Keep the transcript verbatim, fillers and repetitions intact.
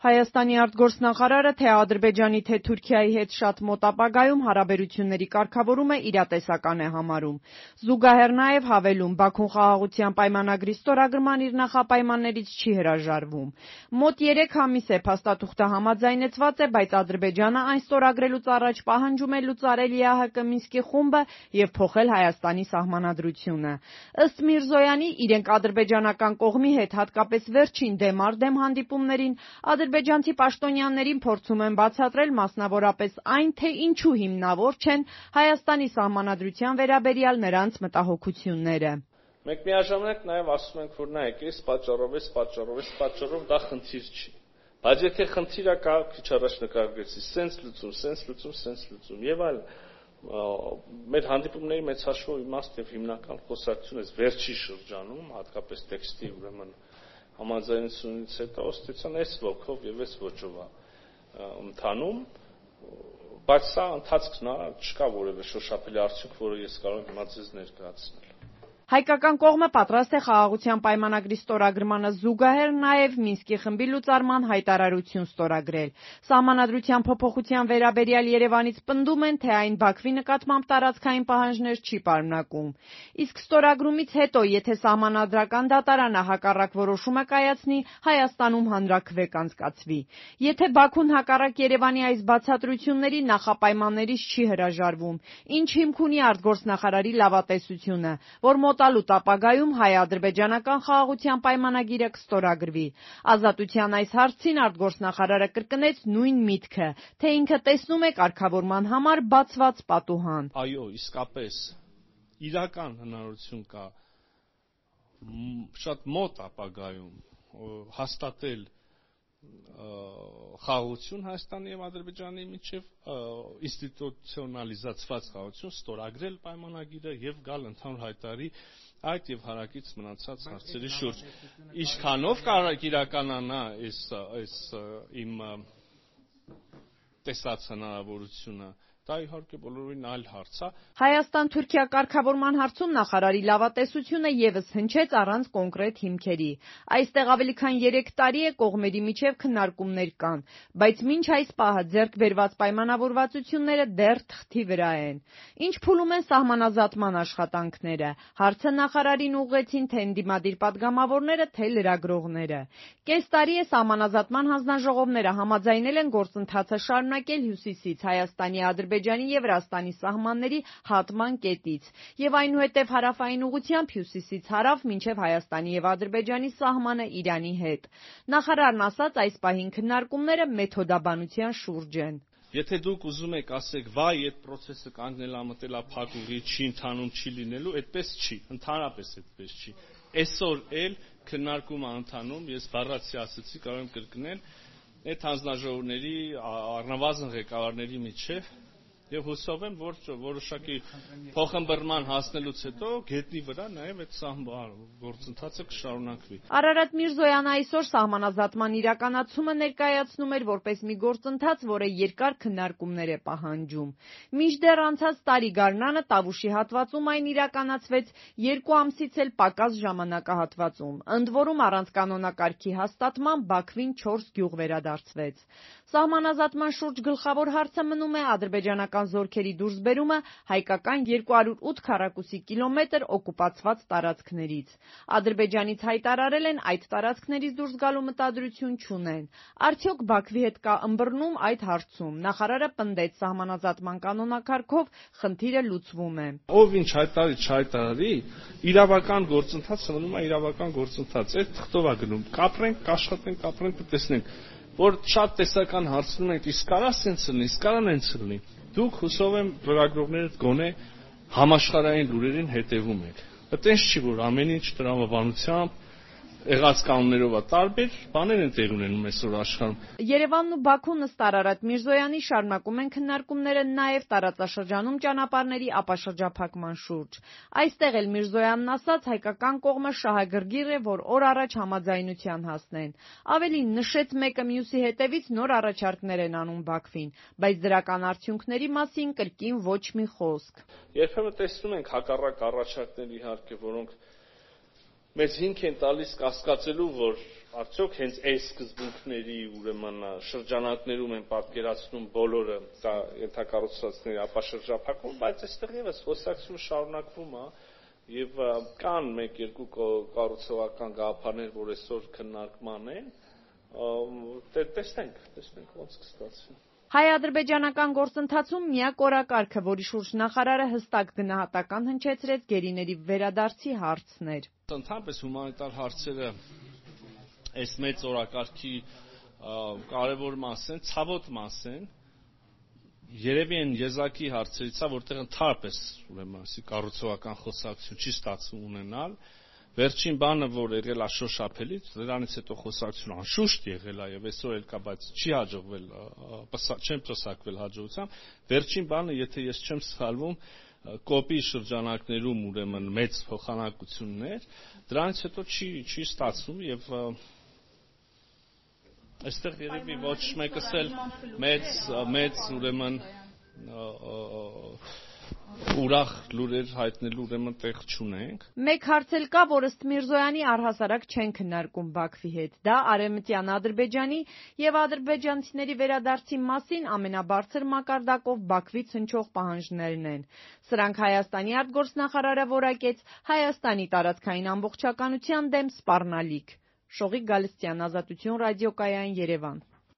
Հայաստանի արտգործնախարարը թե Ադրբեջանի, թե Թուրքիայի հետ շատ մոտ ապագայում հարաբերությունների կարգավորումը իրատեսական է համարում։ Զուգահեռ նաև հավելում, Բաքուն խաղաղության պայմանագրի ստորագրման իր նախապայմաններից չի հրաժարվում։ Մոտ երեք ամիս է փաստաթուղթը համաձայնեցված է, բայց Ադրբեջանը այն ստորագրելուց առաջ պահանջում է լուծարել ԵԱՀԿ Մինսկի խումբը եւ փոխել Հայաստանի սահմանադրությունը։ Ըստ Միրզոյանի, իրենք ադրբեջանական կողմի հետ հատկապես վերջին դեմ առ դեմ հանդիպումներին ադրբեջանցի պաշտոնյաներին փորձում են բացատրել մասնավորապես այն, թե ինչու հիմնավոր չեն Հայաստանի սահմանադրության վերաբերյալ նրանց մտահոգությունները։ Մենք միաժամանակ նաև ասում ենք, որ նայեք, այս պատճառով, այս պատճառով, այս պատճառով դա խնդիր չի։ Բայց եթե խնդիրը կա, քիչ առաջ նկարագրեցի, սենց լուծում, սենց լուծում, սենց լուծում եւ այլ մեր հանդիպումների մեծ հաշվով իմաստ եւ հիմնական խոսակցությունը վերջի շրջանում, հատկապես տեքստի ուրեմն համաձայնությունից հետո ըստեյության այս ոգով եւ այս ոճով է ընթանում, բայց սա ընթացքն է, չկա որևէ շոշափելի արդյունք, որը ես կարող եմ հիմա ձեզ ներկայացնել։ Հայկական կողմը պատրաստ է խաղաղության պայմանագրի ստորագրմանը զուգահեռ նաև Մինսկի խմբի լուծարման հայտարարություն ստորագրել։ Սահմանադրության փոփոխության վերաբերյալ Երևանից պնդում են, թե այն Բաքվի նկատմամբ տարածքային պահանջներ չի պարունակում։ Իսկ ստորագրումից հետո, եթե սահմանադրական դատարանը հակառակ որոշումը կայացնի, Հայաստանում հանրաքվե կանցկացվի։ Եթե Բաքուն հակառակ Երևանի այս բացատրությունների նախապայմաններից չի հրաժարվում, ինչ հիմք ունի արտգործնախարարի լավատեսությունը, որ մոտալուտ ապագայում հայ-ադրբեջանական խաղաղության պայմանագիրը կստորագրվի։ Ազատության այս հարցին արտգործնախարարը կրկնեց նույն միտքը, թե ինքը տեսնում է կարգավորման համար բացված պատուհան։ Այո, իսկապես իրական հնարավորություն կա շատ մոտ ապագայում հաստատել խաղաղություն Հայաստանի եւ Ադրբեջանի միջեւ ինստիտուցիոնալիզացված խաղաղություն, ստորագրել պայմանագիրը եւ գալ ընդհանուր հայտարարի այդ եւ հարակից մնացած հարցերի շուրջ։ Ինչքանով կարող իրականանա այս այս իմ տեսած հնարավորությունը, դա իհարկե բոլորովին այլ հարց է։ Հայաստան-Թուրքիա կարգավորման հարցում նախարարի լավատեսությունը եւս հնչեց առանց կոնկրետ հիմքերի։ Այստեղ ավելի քան երեք տարի է կողմերի միջև քննարկումներ կան, բայց մինչ այս պահը ձեռք բերված պայմանավորվածությունները դեռ թղթի վրա են։ Ինչ փուլում են սահմանազատման աշխատանքները։ Հարցը նախարարին ուղղեցին թե ընդդիմադիր պատգամավորները, թե լրագրողները։ Կես տարի է սահմանազատման հանձնաժողովները համաձայնել են գործընթացը շարունակել հյուսիսից Հայաստանի, Ադրբեջանի եւ Վրաստանի սահմանների հատման կետից եւ այնուհետեւ հարավային ուղղությամբ հյուսիսից հարավ մինչեւ Հայաստանի եւ Ադրբեջանի սահմանը Իրանի հետ։ Նախարարն ասաց, այս պահին քննարկումները մեթոդաբանության շուրջ են։ Եթե դուք ուզում եք ասեք, վայ, այդ process-ը կանգնել է, մտել է փակուղի, չի ընթանում, չի լինելու, այդպես չի, ընդհանրապես այդպես չի։ Այսօր էլ քննարկումը ընթանում, ես բառացի ասացի, կարող եմ կրկնել, այդ հանձնաժողովների առնվազն ղեկավարների միջև եւ հուսով եմ, որ որոշակի փոխըմբռնման հասնելուց հետո գետնի վրա նաեւ այդ գործընթացը կշարունակվի։ Արարատ Միրզոյանը այսօր սահմանազատման իրականացումը ներկայացնում էր որպես մի գործընթաց, որը երկար քննարկումներ է պահանջում։ Մինչդեռ անցած տարի գարնանը Տավուշի հատվածում այն իրականացվեց երկու ամսից էլ պակաս ժամանակահատվածում, ընդ որում առանց կանոնակարգի հաստատման Բաքվին չորս գյուղ վերադարձվեց։ Սահմանազատման շուրջ գլխավոր հարցը մնում է ադրբեջանական զորքերի դուրսբերումը հայկական երկու հարյուր ութ քառակուսի կիլոմետր օկուպացված տարածքներից։ Ադրբեջանից հայտարարել են այդ տարածքներից դուրս գալու մտադրություն չունեն։ Արդյոք Բաքվի հետ կա ըմբռնում այդ հարցում։ Նախարարը պնդեց, սահմանազատման կանոնակարգով խնդիրը լուծվում է։ Ով ինչ հայտարարի, չհայտարարի, իրավական գործընթացը մնում է իրավական գործընթաց։ Այդ թղթով է գնում։ Կապրենք, կաշխատենք, կապրենք, կտեսնենք, որ շատ տեսական հարցնում ենք, իսկ կարա սենց լինի, իսկ կարա նենց լինի։ Դուք հուսով եմ լրագրողները գոնե համաշխարհային լուրերին հետևում եք։ Այդպես չի, որ ամեն ինչ տրամաբանությամբ եղած կանոններով է տարբեր բաներ են տեղ ունենում այսօր աշխարհում։ Երևանն ու Բաքուն ըստ Արարատ Միրզոյանի շարունակում են քննարկումները նաև տարածաշրջանում ճանապարհների ապաշրջափակման շուրջ։ Այստեղ էլ Միրզոյանն ասաց, հայկական կողմը շահագրգիռ է, որ օր առաջ համաձայնության հասնեն։ Ավելին նշեց, մեկը մյուսի հետևից նոր առաջարկներ են անում Բաքվին, բայց դրական արդյունքների մասին կրկին ոչ մի խոսք։ Երբեմն տեսնում ենք հակառակ առաջարկներ իհարկե, որոնք մեզ հիմք են տալիս կասկածելու, որ արդյոք հենց այս սկզբունքների ուրեմն շրջանակներում են պատկերացնում բոլորը դա ենթակառուցվածքների ապաշրջափակում, բայց այստեղ եւս խոսակցությունը շարունակվում է եւ կան մեկ-երկու կառուցողական գաղափարներ, որ այսօր քննարկման են, տեսնենք, տեսնենք ոնց կստացվի։ Հայ-ադրբեջանական գործընթացում միակ օրակարգը, որի շուրջ նախարարը հստակ գնահատական հնչեցրեց գերիների վերադարձի հարցն էր։ Ընդհանրապես հումանիտար հարցերը այս մեծ օրակարգի կարևոր մաս են, ցավոտ մաս են, երևի են եզակի հարցերից է, որտեղ ընդհանրապես ուրեմն ասի կառուցողական խոսակցություն չի ստացվում ունենալ։ Վերջին բանը, որ եղել է շոշափելից, դրանից հետո խոսակցություն անշուշտ եղել է եւ այսօր էլ կա, բայց չի հաջողվել, չեմ պսակվել հաջողությամբ։ Վերջին բանը, եթե ես չեմ սխալվում, կոպի շրջանակներում ուրեմն մեծ փոխանակություններ, դրանից հետո չի չի ստացվում եւ այստեղ երևի ոչ մեկս էլ մեծ մեծ ուրեմն ուրախ լուրեր հայտնելու ուրեմն տեղ չունենք։ Մեկ հարց էլ կա, որ ըստ Միրզոյանի առհասարակ չեն քննարկում Բաքվի հետ։ Դա Արևմտյան Ադրբեջանի եւ ադրբեջանցիների վերադարձի մասին ամենաբարձր մակարդակով Բաքվից հնչող պահանջներն են։ Սրանք Հայաստանի արտգործնախարարը որակեց Հայաստանի տարածքային ամբողջականության դեմ սպառնալիք։ Շողիկ Գալստյան, Ազատություն ռադիոկայան, Երևան։